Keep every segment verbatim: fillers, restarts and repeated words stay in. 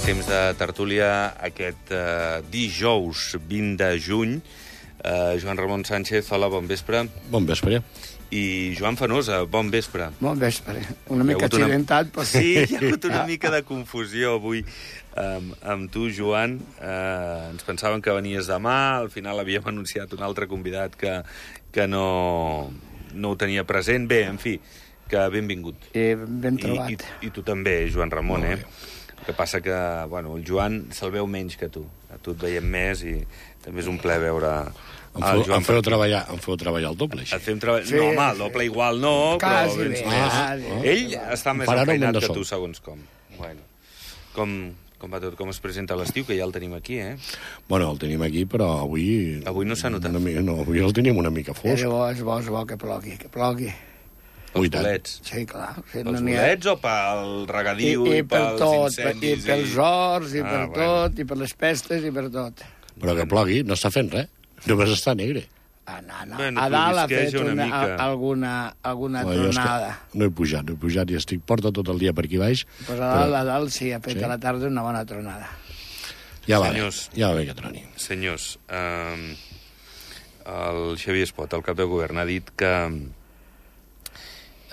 Temps de tertúlia aquest eh, dijous vint de juny. Eh, Joan Ramon Sánchez, hola, bon vespre. Bon vespre. I Joan Fenosa, bon vespre. Bon vespre. Una mica accidentat, una... però... Sí, hi ha hagut una mica de confusió avui amb, amb tu, Joan. Eh, ens pensàvem que venies demà, al final havíem anunciat un altre convidat que, que no, no ho tenia present. Bé, en fi, que benvingut. I ben trobat. I, i, i tu també, Joan Ramon, eh? El que passa que, bueno, el Joan se'l veu menys que tu. A tu et veiem més i també és un plaer veure... Em feu, em feu, treballar, em feu treballar el doble, així. Et fem treba... sí, no, home, el doble igual no, quasi però vens bé, més. Ah, Ell està més enfeinat que tu, segons com. Bueno, com, com va tot? Com es presenta l'estiu, que ja el tenim aquí, eh? Bueno, el tenim aquí, però avui... Avui no s'ha notat. Mica, no, avui el tenim una mica fosc. És bo, és bo, és bo que plogui, que plogui. Pels bolets. Sí, clar. Sí, pels no bolets o pel regadiu i, i, i pels tot, incendis? I pels horts, i ah, per bueno. tot, i per les pestes, i per tot. Però que plogui, no està fent res. Només està negre. Ah, no, no. Bueno, a dalt ha fet una una, mica. alguna, alguna no, tronada. No he pujat, no he pujat i estic porta tot el dia per aquí baix. Pues a dalt, però... a dalt sí, ha fet sí? a la tarda una bona tronada. Ja va Senyors, bé, ja va bé que troni. Senyors, eh, el Xavier Espot, el cap de govern, ha dit que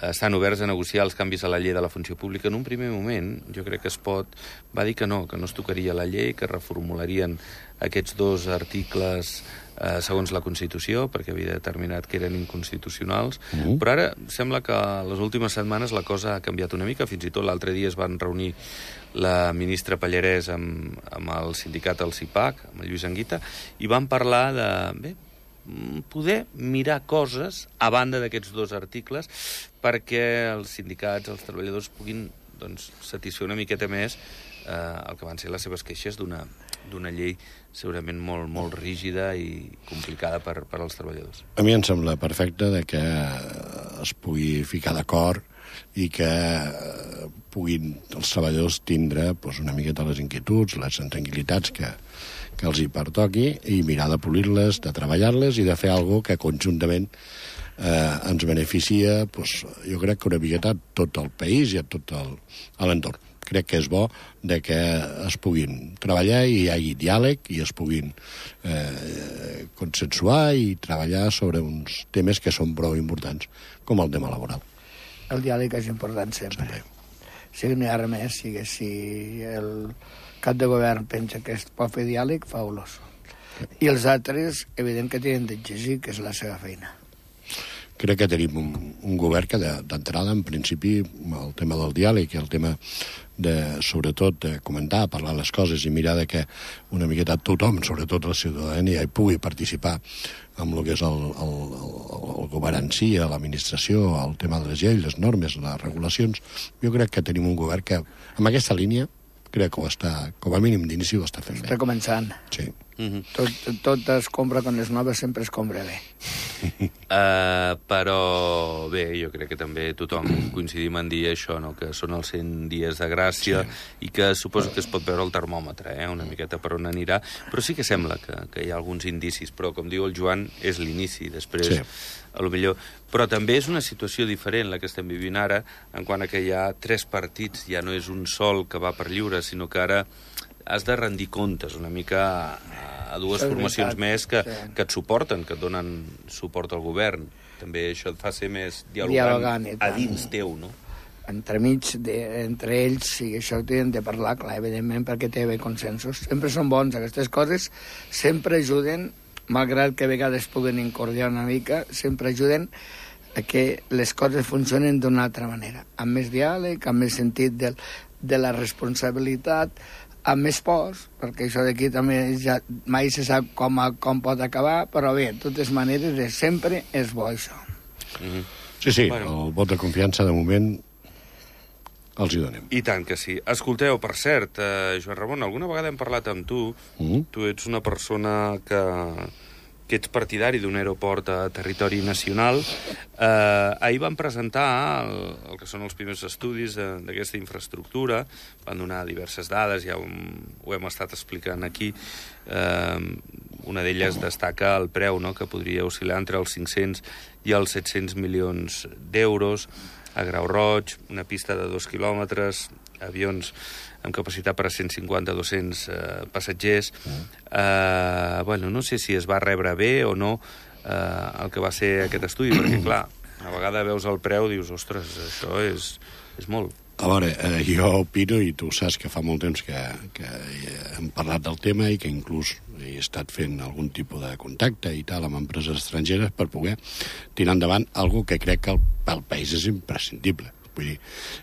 estan oberts a negociar els canvis a la llei de la funció pública. En un primer moment, jo crec que Espot va dir que no, que no es tocaria la llei, que reformularien aquests dos articles eh, segons la Constitució, perquè havia determinat que eren inconstitucionals, uh-huh. però ara sembla que les últimes setmanes la cosa ha canviat una mica. Fins i tot l'altre dia es van reunir la ministra Pallarès amb, amb el sindicat, el CIPAC, amb el Lluís Anguita, i van parlar de... Bé, poder mirar coses a banda d'aquests dos articles perquè els sindicats, els treballadors puguin doncs, satisfer una miqueta més eh, el que van ser les seves queixes d'una d'una llei segurament molt, molt rígida i complicada per, per als treballadors. A mi em sembla perfecte de que es pugui ficar d'acord i que puguin els treballadors tindre doncs, una miqueta les inquietuds, les intranquil·litats que, que els hi pertoqui i mirar de polir-les, de treballar-les i de fer alguna cosa que conjuntament eh, ens beneficia, doncs, jo crec que una miqueta tot el país i a tot l'entorn. Crec que és bo de que es puguin treballar i hi hagi diàleg i es puguin eh, consensuar i treballar sobre uns temes que són prou importants, com el tema laboral. El diàleg és important sempre. sempre. Si no hi ha res més, si, si el cap de govern pensa que es pot fer diàleg, fa-los. I els altres, evident que tenen d'exigir, que és la seva feina. Crec que tenim un, un govern que d'entrada, en principi, el tema del diàleg i el tema de, sobretot, de comentar, parlar les coses i mirar de que una miqueta tothom, sobretot la ciutadania, hi pugui participar amb el que és el, el, el, el govern en si, l'administració, el tema de les lleis, les normes, les regulacions. Jo crec que tenim un govern que, amb aquesta línia, crec que ho està, com a mínim d'inici, ho està fent bé. Està començant. Sí. Mm-hmm. tot, tot es compra quan les noves sempre es compra bé. Uh, però bé, jo crec que també tothom coincidim en dir això, no? Que són els cent dies de gràcia sí. i que suposo que es pot veure el termòmetre, eh? Una miqueta per on anirà, però sí que sembla que, que hi ha alguns indicis, però com diu el Joan, és l'inici, després sí. a lo millor... Però també és una situació diferent la que estem vivint ara, en quant a que hi ha tres partits, ja no és un sol que va per lliure, sinó que ara has de rendir comptes una mica a, a dues és formacions veritat. més que, sí. que et suporten, que et donen suport al govern. També això et fa ser més dialogant, dialogant a dins teu, no? Entremig, de, entre ells, sí, això ho tenen de parlar, clar, evidentment, perquè té bé consensos. Sempre són bons, aquestes coses sempre ajuden, malgrat que a vegades puguen incordiar una mica, sempre ajuden a que les coses funcionen d'una altra manera, amb més diàleg, amb més sentit de, de la responsabilitat, amb més pors, perquè això d'aquí també ja mai se sap com, com pot acabar, però bé, de totes maneres, sempre és bo això. Mm-hmm. Sí, sí, bueno. El vot de confiança de moment els hi donem. I tant que sí. Escolteu, per cert, eh, Joan Ramon, alguna vegada hem parlat amb tu, mm-hmm. tu ets una persona que... que ets partidari d'un aeroport a territori nacional. Eh, ahir van presentar el, el que són els primers estudis d'aquesta infraestructura, van donar diverses dades, ja ho, ho hem estat explicant aquí. Eh, una d'elles destaca el preu, no?, que podria oscil·lar entre els cinc-cents i els set-cents milions d'euros. a Grau Roig, una pista de dos quilòmetres, avions amb capacitat per a cent cinquanta a dos-cents eh, passatgers. Eh, bueno, no sé si es va rebre bé o no eh, el que va ser aquest estudi, perquè, clar, a vegada veus el preu i dius, ostres, això és, és molt. A veure, eh, jo opino, i tu saps que fa molt temps que, que hem parlat del tema i que inclús he estat fent algun tipus de contacte i tal amb empreses estrangeres per poder tirar endavant algo que crec que pel país és imprescindible. Vull dir,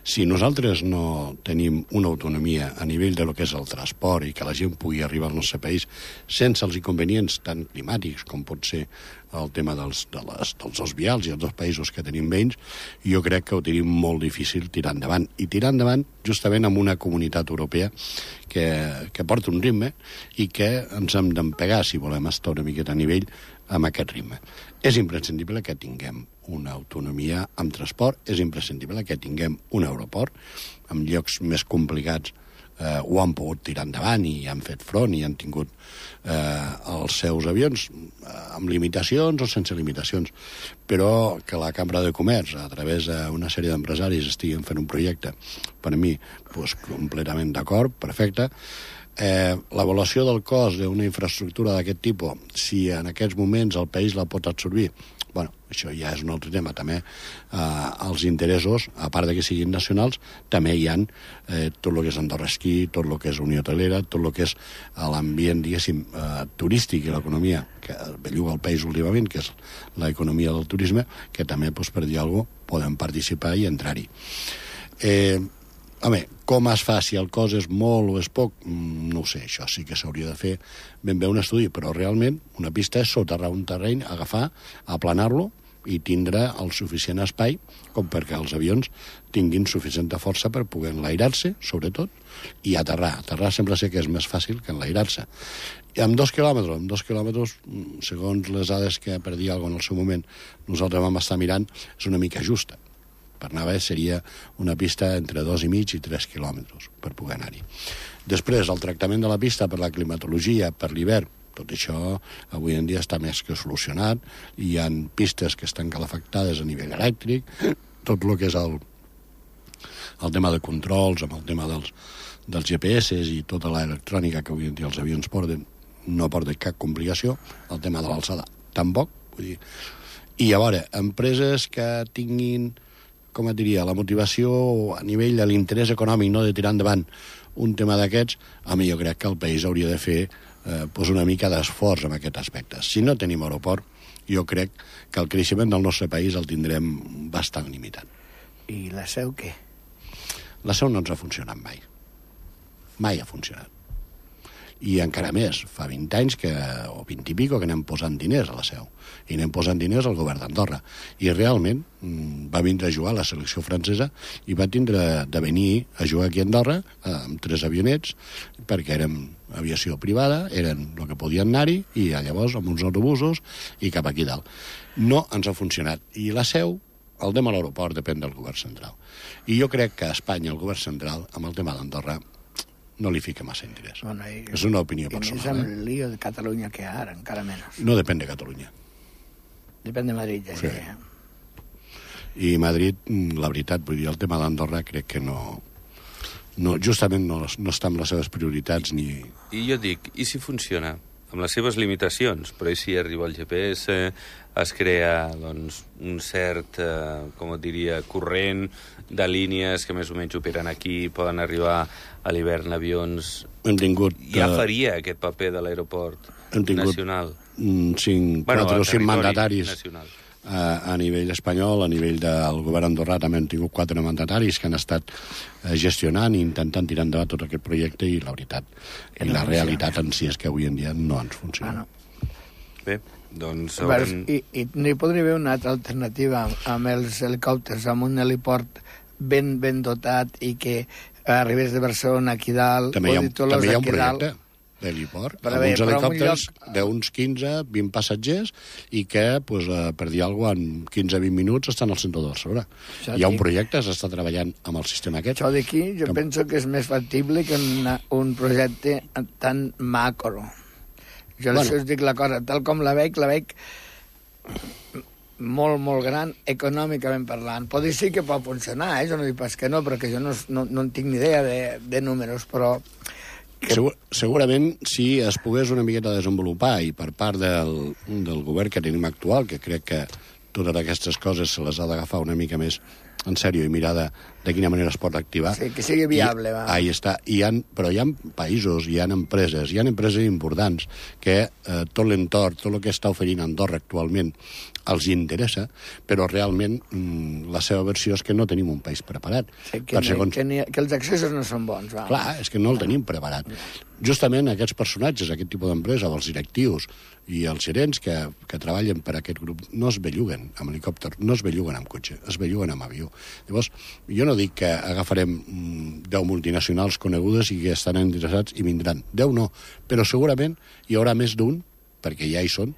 si nosaltres no tenim una autonomia a nivell de lo que és el transport i que la gent pugui arribar al nostre país sense els inconvenients tan climàtics com pot ser el tema dels, de les, dels dos vials i els dos països que tenim veïns, jo crec que ho tenim molt difícil tirar endavant. I tirar endavant justament amb una comunitat europea que, que porta un ritme i que ens hem d'empegar, si volem estar una miqueta a nivell, amb aquest ritme. És imprescindible que tinguem una autonomia amb transport, és imprescindible que tinguem un aeroport. En llocs més complicats eh, ho han pogut tirar endavant i han fet front i han tingut eh, els seus avions eh, amb limitacions o sense limitacions. Però que la Cambra de Comerç, a través d'una sèrie d'empresaris, estiguin fent un projecte, per a mi, pues, completament d'acord, perfecte. Eh, l'avaluació del cost d'una infraestructura d'aquest tipus, si en aquests moments el país la pot absorbir, bueno, això ja és un altre tema. També eh, els interessos, a part de que siguin nacionals, també hi ha eh, tot el que és Andorra Esquí, tot el que és Unió Hotelera, tot el que és l'ambient, diguéssim, eh, turístic i l'economia que belluga el país últimament, que és l'economia del turisme, que també, doncs, per dir alguna cosa, podem participar i entrar-hi. Eh, Home, com es fa, si el cost és molt o és poc, no ho sé, això sí que s'hauria de fer ben bé un estudi, però realment una pista és soterrar un terreny, agafar, aplanar-lo i tindre el suficient espai com perquè els avions tinguin suficient força per poder enlairar-se, sobretot, i aterrar. Aterrar sembla ser que és més fàcil que enlairar-se. I amb dos quilòmetres, amb dos quilòmetres, segons les dades que per dir alguna cosa en el seu moment nosaltres vam estar mirant, és una mica justa. Per anar bé seria una pista entre dos i mig i tres quilòmetres per poder anar-hi. Després, el tractament de la pista per la climatologia, per l'hivern, tot això avui en dia està més que solucionat. Hi ha pistes que estan calefactades a nivell elèctric, tot el que és el, el tema de controls, amb el tema dels, dels G P S i tota l'electrònica que avui en dia els avions porten, no porten cap complicació. El tema de l'alçada tampoc. Vull dir. I a veure, empreses que tinguin, com et diria, la motivació a nivell de l'interès econòmic, no de tirar endavant un tema d'aquests, a mi jo crec que el país hauria de fer eh, pues una mica d'esforç en aquest aspecte. Si no tenim aeroport, jo crec que el creixement del nostre país el tindrem bastant limitat. I la Seu què? La Seu no ens ha funcionat mai. Mai ha funcionat. I encara més, fa vint anys que, o vint i pico que anem posant diners a la Seu i anem posant diners al govern d'Andorra i realment va vindre a jugar a la selecció francesa i va tindre de venir a jugar aquí a Andorra amb tres avionets perquè érem aviació privada, eren el que podien anar-hi i llavors amb uns autobusos i cap aquí dalt. No ens ha funcionat i la Seu, el tema de l'aeroport depèn del govern central i jo crec que a Espanya el govern central amb el tema d'Andorra no li fica massa interès. Bueno, i, és una opinió personal. I més amb el lío de Catalunya que ara, encara menys. No depèn de Catalunya. Depèn de Madrid, ja. Sí. I Madrid, la veritat, vull dir, el tema d'Andorra crec que no... no justament no, no està amb les seves prioritats ni... I jo dic, i si funciona? Amb les seves limitacions, però i si arriba el G P S, es crea doncs, un cert, eh, com et diria, corrent de línies que més o menys operen aquí, poden arribar a l'hivern avions... Hem tingut... Ja faria aquest paper de l'aeroport nacional. Cinc, bueno, quatre o cinc mandataris nacional. A, a nivell espanyol, a nivell del govern andorrà també hem tingut quatre mandataris que han estat eh, gestionant i intentant tirar endavant tot aquest projecte i la veritat que i no la funciona. Realitat en si és que avui en dia no ens funciona. Ah, no. Bé, doncs... Haurem... I, i n'hi podria haver una altra alternativa amb els helicòpters, amb un heliport ben, ben dotat i que arribés de Barcelona aquí dalt... També hi ha, també hi ha un projecte d'heliport, amb uns helicòpters lloc... d'uns quinze a vint passatgers i que, pues, eh, per dir alguna cosa, en quinze a vint minuts estan al centre de Barcelona. Això hi ha un projecte, s'està treballant amb el sistema aquest. Això d'aquí jo que... penso que és més factible que una, un projecte tan macro. Jo bueno. Això us dic la cosa, tal com la veig, la veig molt, molt gran, econòmicament parlant. Pot dir sí que pot funcionar, eh? Jo no dic pas que no, perquè jo no, no, no en tinc ni idea de, de números, però... Que... Segur, segurament, si es pogués una miqueta desenvolupar, i per part del, del govern que tenim actual, que crec que totes aquestes coses se les ha d'agafar una mica més en sèrio i mirar de, de quina manera es pot activar. Sí, que sigui viable, I, va. Ahí està. I ha, però hi ha països, hi ha empreses, hi ha empreses importants que eh, tot l'entorn, tot el que està oferint Andorra actualment els interessa, però realment mm, la seva versió és que no tenim un país preparat. Sí, que, segons... que, ni, que els accessos no són bons, va. Clar, és que no el tenim preparat. Justament aquests personatges, aquest tipus d'empresa, els directius i els gerents que, que treballen per aquest grup, no es belluguen amb helicòpter, no es belluguen amb cotxe, es belluguen amb avió. Llavors, jo no dic que agafarem deu multinacionals conegudes i que estan interessats i vindran. deu no, però segurament hi haurà més d'un, perquè ja hi són,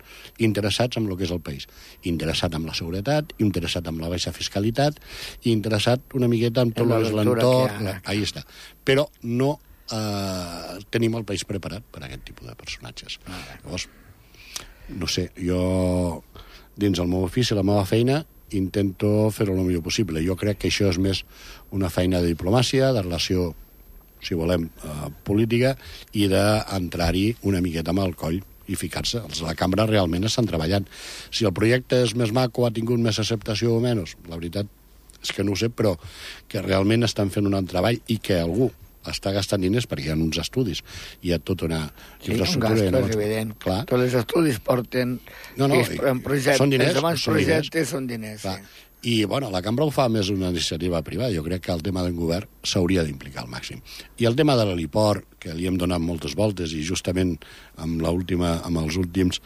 interessats en el que és el país. Interessat en la seguretat, interessat en la baixa fiscalitat, i interessat una miqueta en tot el que és l'entorn. Ahí està. Però no eh, tenim el país preparat per a aquest tipus de personatges. Ah, llavors, no sé, jo, dins el meu ofici, la meva feina, intento fer-ho el millor possible. Jo crec que això és més una feina de diplomàcia, de relació, si volem, eh, política, i d'entrar-hi una miqueta amb el coll i ficar-se. La cambra realment estan treballant. Si el projecte és més maco, ha tingut més acceptació o menys, la veritat és que no ho sé, però que realment estan fent un treball i que algú està gastant diners perquè hi ha uns estudis, hi ha tota una sí, infraestructura. Un gasto, és evident. Clar. Tots els estudis porten... No, no, en projectes, són diners. Els són projectes diners. són diners, Clar. sí. I, bueno, la cambra ho fa més una iniciativa privada. Jo crec que el tema del govern s'hauria d'implicar al màxim. I el tema de l'heliport, que li hem donat moltes voltes, i justament amb, l'última, amb els últims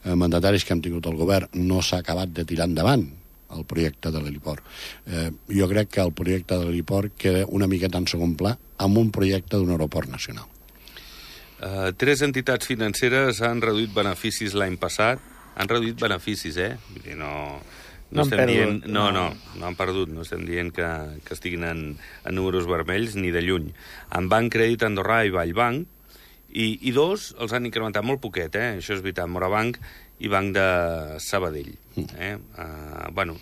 eh, mandataris que hem tingut al govern no s'ha acabat de tirar endavant el projecte de l'heliport. Eh, jo crec que el projecte de l'heliport queda una miqueta en segon pla amb un projecte d'un aeroport nacional. Uh, tres entitats financeres han reduït beneficis l'any passat. Han reduït beneficis, eh? Vull dir, no... No, no, estem perdut, dient, no, no, no han perdut, no estem dient que, que estiguin en, en números vermells ni de lluny. En Banc Crèdit Andorrà i Vallbanc, i, i dos els han incrementat molt poquet, eh? Això és veritat, Morabanc i Banc de Sabadell. Eh? Uh, bueno,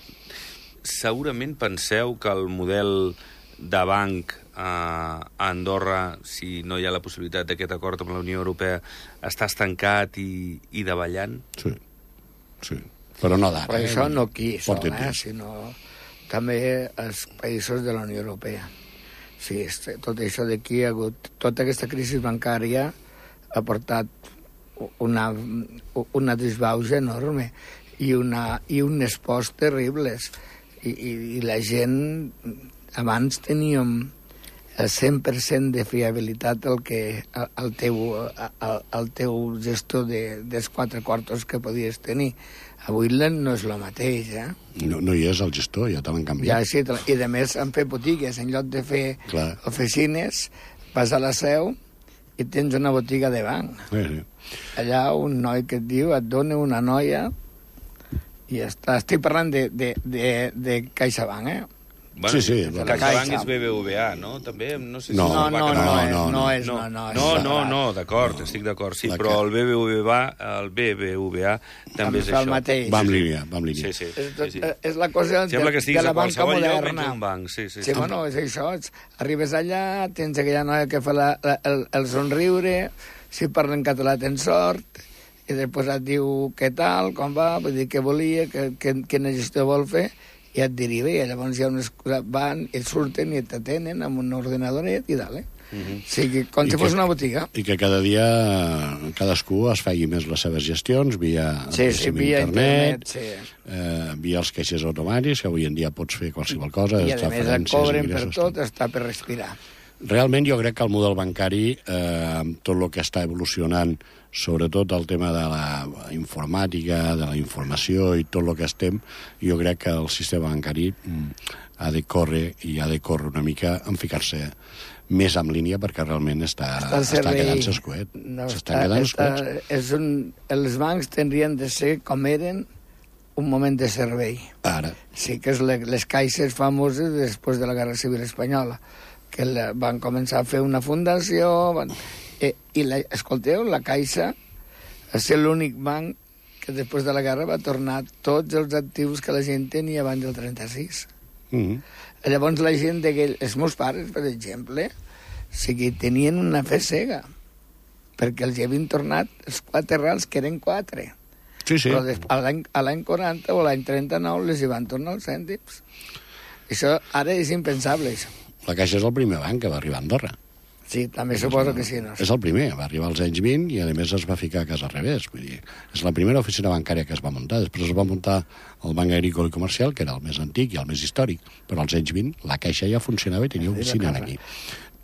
segurament penseu que el model de banc uh, a Andorra, si no hi ha la possibilitat d'aquest acord amb la Unió Europea, està estancat i, i davallant? Sí, sí. Però no d'ara. Però eh? això no aquí sol, eh? Temps. Sinó també els països de la Unió Europea. Sí, tot això d'aquí ha hagut... Tota aquesta crisi bancària ha portat una, una disbauxa enorme i, una, i un espost terribles. I, i, I la gent... Abans teníem el cent per cent de fiabilitat al que el teu, el, el teu gestor de, dels quatre quartos que podies tenir. Avui no és el mateix, eh? No, no hi és el gestor, ja te l'han canviat. Ja, sí, i a més han fet botigues. En lloc de fer Clar. oficines, vas a la seu i tens una botiga de banc. Sí, sí. Allà un noi que et diu, et dona una noia i ja està. Estic parlant de, de, de, de CaixaBank, eh? Bueno, sí, sí. CaixaBank és B B V A, no? També, no sé si... No, no, no, no, no, és, no, no, és, no, no, no, no, no, d'acord, no. Estic d'acord, sí, la però que... el B B V A, el B B V A també és això. Mateix. Va amb línia, va amb línia. Sí, sí, és, sí, sí. és la cosa de, Sembla que de la banca moderna. Lloc, un banc. Sí, sí, sí. Sí, bueno, és això. Arribes allà, tens aquella noia que fa la, la, el, el somriure, si parla en català tens sort, i després et diu què tal, com va, vull dir, què volia, que, que, quina gestió vol fer, i et deriva, i llavors hi ha unes coses, van, i surten i t'atenen amb un ordenadoret i dalt, eh? Uh -huh. O sigui, com si fos una botiga. I que cada dia cadascú es faci més les seves gestions via, sí, sí, via internet, internet sí. eh, via els caixers automàtics, que avui en dia pots fer qualsevol cosa. I a més et cobren per tot, està per respirar. Realment jo crec que el model bancari, eh, amb tot el que està evolucionant, sobretot el tema de la informàtica, de la informació i tot el que estem, jo crec que el sistema bancari mm, ha de córrer i ha de córrer una mica en ficar-se més en línia perquè realment està, està, està quedant-se escuet. No, S'estan quedant escuets. És un, els bancs tindrien de ser com eren un moment de servei. Ara. Sí, que és les, les caixes famoses després de la Guerra Civil Espanyola, que la, van començar a fer una fundació... Van, eh, I, la, escolteu, la Caixa és l'únic banc que després de la guerra va tornar tots els actius que la gent tenia abans del trenta-sis. Mm-hmm. Llavors la gent, de els meus pares, per exemple, o sigui, tenien una fe cega, perquè els havien tornat els quatre rals, que eren quatre. Sí, sí. Però des, a l'any quaranta o l'any trenta-nou les hi van tornar els cèntims. Això ara és impensable, això. La Caixa és el primer banc que va arribar a Andorra. Sí, també suposo que sí. No? És el primer, va arribar als anys vint i a més es va ficar a casa al revés. Vull dir, és la primera oficina bancària que es va muntar. Després es va muntar el Banc Agrícola i Comercial, que era el més antic i el més històric, però als anys vint la Caixa ja funcionava i tenia oficina aquí.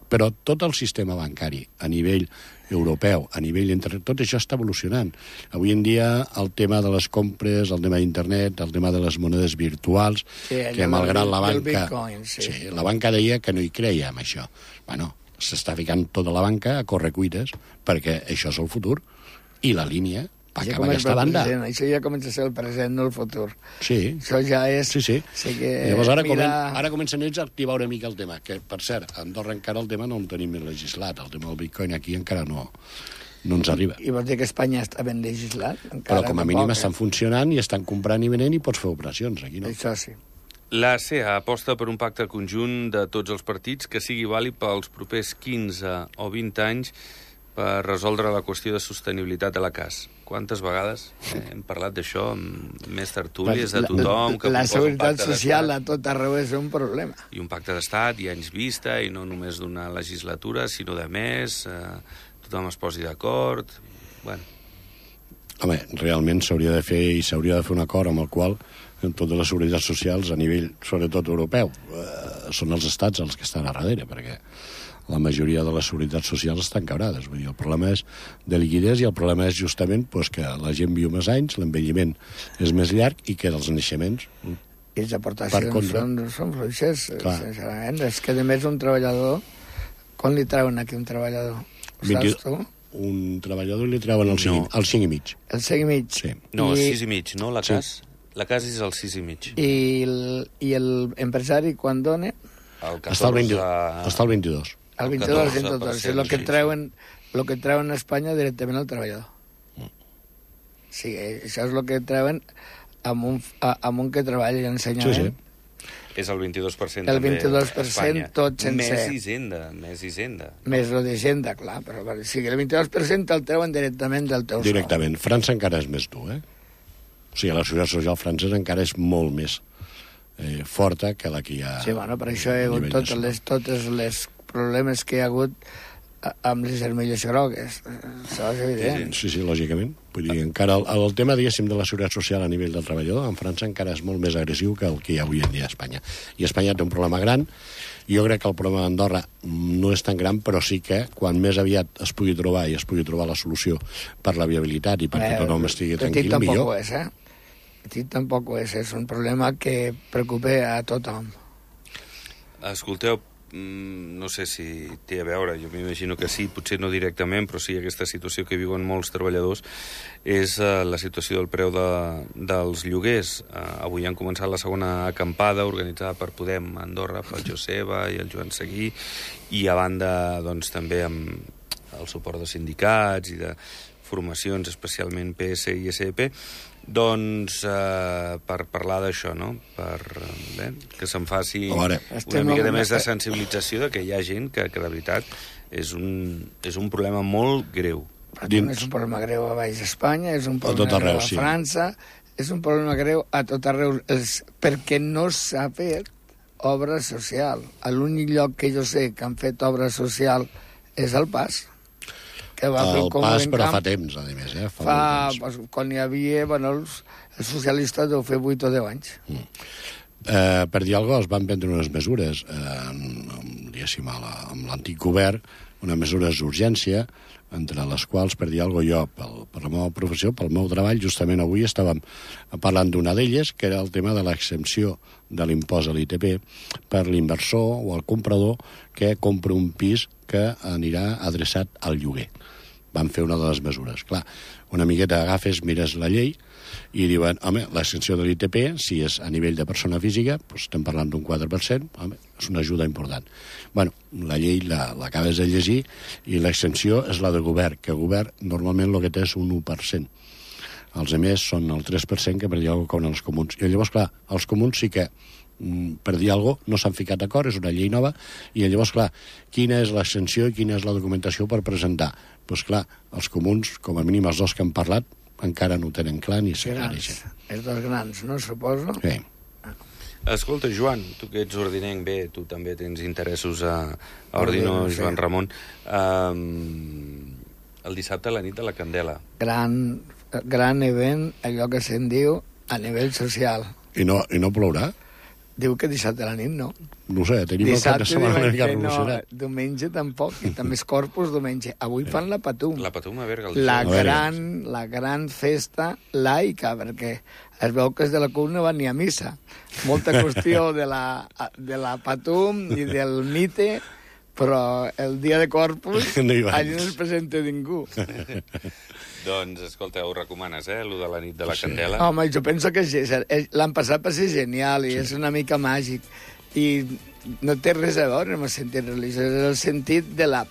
Però tot el sistema bancari a nivell europeu, a nivell internet, tot això està evolucionant. Avui en dia el tema de les compres, el tema d'internet, el tema de les monedes virtuals, sí, que malgrat la banca... Bitcoin, sí. Sí, la banca deia que no hi creia en això. Bueno, s'està ficant tota la banca a correcuites perquè això és el futur i la línia va cap a aquesta banda. Present. Això ja comença a ser el present, no el futur. Sí. Això ja és... Sí, sí. sí que llavors ara, mira... comen, ara comencen ells a activar una mica el tema, que, per cert, a Andorra encara el tema no el tenim ben legislat. El tema del bitcoin aquí encara no, no ens arriba. I vols dir que Espanya està ben legislat? Encara Però com a mínim estan funcionant i estan comprant i venent i pots fer operacions. Aquí no. Això sí. La C E A aposta per un pacte conjunt de tots els partits que sigui vàlid pels propers quinze o vint anys per resoldre la qüestió de sostenibilitat de la C A S. Quantes vegades eh, hem parlat d'això amb més tertúlies de tothom... que la seguretat social a tot arreu és un problema. I un pacte d'estat i anys vista, i no només d'una legislatura, sinó de més, eh, tothom es posi d'acord... Bueno. Home, realment s'hauria de fer i s'hauria de fer un acord amb el qual en totes les seguretats socials a nivell, sobretot europeu, eh, són els estats els que estan a darrere, perquè la majoria de les seguretats socials estan quebrades. Vull dir, el problema és de liquiditat i el problema és justament pues, que la gent viu més anys, l'envelliment és més llarg i que dels naixements... I les aportacions són, són fluixes. Sincerament. És que, a més, un treballador... Quan li treuen aquí un treballador? vint Saps tu? Un treballador li treuen el cinc, no. el cinc i mig. El cinc i mig? Sí. No, I... el sis i mig, no? La C A S? Sí. La C A S és el sis i mig. I l'empresari, quan dona? El catorze... Està al vint, està al vint-i-dos. El vint-i-dos, el vint-i-dos. És el que treuen, el que treuen a Espanya directament al treballador. Mm. Sí, això és el que treuen amb un, amb un que treballa i ensenyament. Sí, sí. És el vint-i-dos per cent el vint-i-dos per cent també tot sencer. Més Hisenda, més Hisenda. Més lo d'Hisenda, clar. Però, o sigui, el vint-i-dos per cent el treuen directament del teu sou. Directament. França encara és més dur, eh? O sigui, la societat social francesa encara és molt més eh, forta que la que hi ha... Sí, bueno, per això hi ha hagut totes les, totes les problemes que hi ha hagut amb les armilles grogues. Això és evident. Sí, sí, lògicament. Vull dir, encara el, el tema, diguéssim, de la seguretat social a nivell del treballador en França encara és molt més agressiu que el que hi ha avui en dia a Espanya. I Espanya té un problema gran. Jo crec que el problema d'Andorra no és tan gran, però sí que quan més aviat es pugui trobar i es pugui trobar la solució per la viabilitat i perquè eh, tothom estigui tranquil, millor. Tampoc ho és, eh? Petit tampoc ho és. És un problema que preocupa a tothom. Escolteu, no sé si té a veure, jo m'imagino que sí, potser no directament, però sí aquesta situació que viuen molts treballadors és uh, la situació del preu de, dels lloguers. Uh, avui han començat la segona acampada organitzada per Podem a Andorra, pel Joseba i el Joan Seguí, i a banda doncs, també amb el suport de sindicats i de formacions, especialment P S i S P, doncs eh, per parlar d'això, no? Per bé, que se'n faci una mica més de sensibilització de que hi ha gent que, que de veritat és un, és un problema molt greu. Dins... És un problema greu a baix Espanya, és un problema arreu, greu a França, sí. És un problema greu a tot arreu, és perquè no s'ha fet obra social. L'únic lloc que jo sé que han fet obra social és el Pas. Que va el fer Pas, però camp, fa temps, a més, eh? Fa, fa pues, quan hi havia, bueno, els, els socialistes deu fer vuit o deu anys. Mm. Eh, per dir alguna cosa, es van prendre unes mesures, eh, amb, diguéssim, amb l'antic govern, unes mesures d'urgència, entre les quals, per dir alguna cosa, jo, pel, per la meva professió, pel meu treball, justament avui estàvem parlant d'una d'elles, que era el tema de l'exempció de l'impost a l'I T P per l'inversor o el comprador que compra un pis que anirà adreçat al lloguer. Van fer una de les mesures. Clar, una miqueta agafes, mires la llei i diuen, home, l'extensió de l'I T P, si és a nivell de persona física, doncs estem parlant d'un quatre per cent, home, és una ajuda important. Bueno, la llei l'acabes la, de llegir i l'extensió és la de govern, que govern normalment el que té és un u per cent. Els altres són el tres per cent que per dir alguna cosa com els comuns. I llavors, clar, els comuns sí que, per dir alguna cosa, no s'han ficat d'acord, és una llei nova, i llavors, clar, quina és l'extensió i quina és la documentació per presentar? Doncs, pues, clar, els comuns, com a mínim els dos que han parlat, encara no ho tenen clar ni s'aclareixen. Els dos grans, no, suposo? Sí. Escolta, Joan, tu que ets ordinenc, bé, tu també tens interessos a, a Ordino, sí. Joan Ramon. Um, el dissabte a la nit de la Candela. Gran, gran event, allò que se'n diu, a nivell social. I no, i no plourà? Diu que dissabte a la nit no. No sé, tenim dissabte, el cap de setmana una mica no, revolucionat. diumenge tampoc, i també és Corpus diumenge. Avui fan la Patum. La Patum a Berga. La A Berga. gran, la gran festa laica, perquè es veu que els de la C U P no van ni a missa. Molta qüestió de la, de la Patum i del mite, però el dia de Corpus No hi van. allà no es presenta ningú. Doncs, escolta, ho recomanes, eh, allò de la nit de la Sí. Candela? Home, jo penso que sí, l'han passat per ser genial i sí. És una mica màgic. I no té res a veure amb el sentit religiós, és el sentit de la,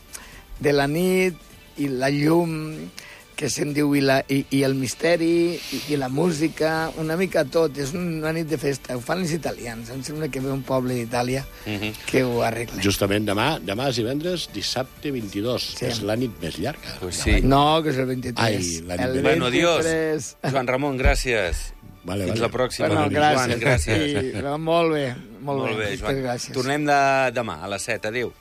de la nit i la llum que se'n diu i, la, i, i el misteri i, i la música, una mica tot. És una nit de festa. Ho fan els italians. Em sembla que ve un poble d'Itàlia Mhm. que ho arregla. Justament demà, demà és divendres, dissabte vint-i-dos, Sí. que és la nit més llarga. Pues sí. No, que és el vint-i-tres. Ai, la nit el de- Bueno, adiós. vint-i-tres. Joan Ramon, gràcies. Vale, Fins vale. la pròxima. Bueno, gràcies. Joan, gràcies. Sí, molt bé, molt, Molt bé, bé. Joan. Moltes gràcies. Tornem de, demà a les set. Adéu.